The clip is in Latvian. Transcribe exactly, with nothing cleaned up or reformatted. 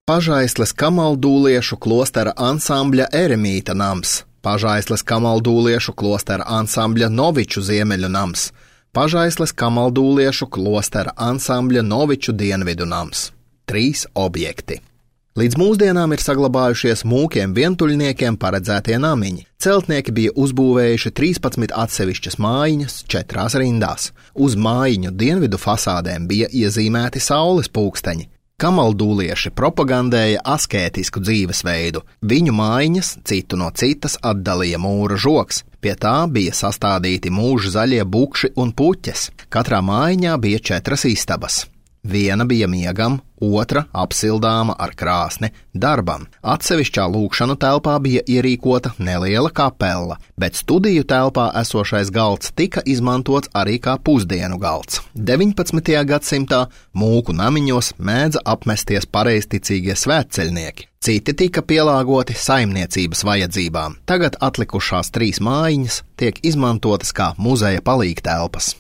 Pažaisles kamaldūliešu klostera ansambļa Eremīta nams, Pažaisles kamaldūliešu klostera ansambļa Noviču ziemeļu nams, Pažaisles kamaldūliešu klostera ansambļa Noviču dienvidu nams. Trīs objekti. Līdz mūsdienām ir saglabājušies mūkiem vientuļniekiem paredzētie namiņi. Celtnieki bija uzbūvējuši trīspadsmit atsevišķas mājiņas četrās rindās. Uz mājiņu dienvidu fasādēm bija iezīmēti saules pulksteņi. Kamaldūlieši propagandēja askētisku dzīvesveidu. Viņu mājiņas citu no citas atdalīja mūra žoks. Pie tā bija sastādīti mūža zaļie bukši un puķes. Katrā mājiņā bija četras istabas. Viena bija miegam, otra apsildāma ar krāsni darbam. Atsevišķā lūkšanu telpā bija ierīkota neliela kapela, bet studiju telpā esošais galds tika izmantots arī kā pusdienu galds. deviņpadsmitajā gadsimtā mūku namiņos mēdza apmesties pareizticīgie svētceļnieki. Citi tika pielāgoti saimniecības vajadzībām. Tagad atlikušās trīs mājiņas tiek izmantotas kā muzeja palīgtelpas.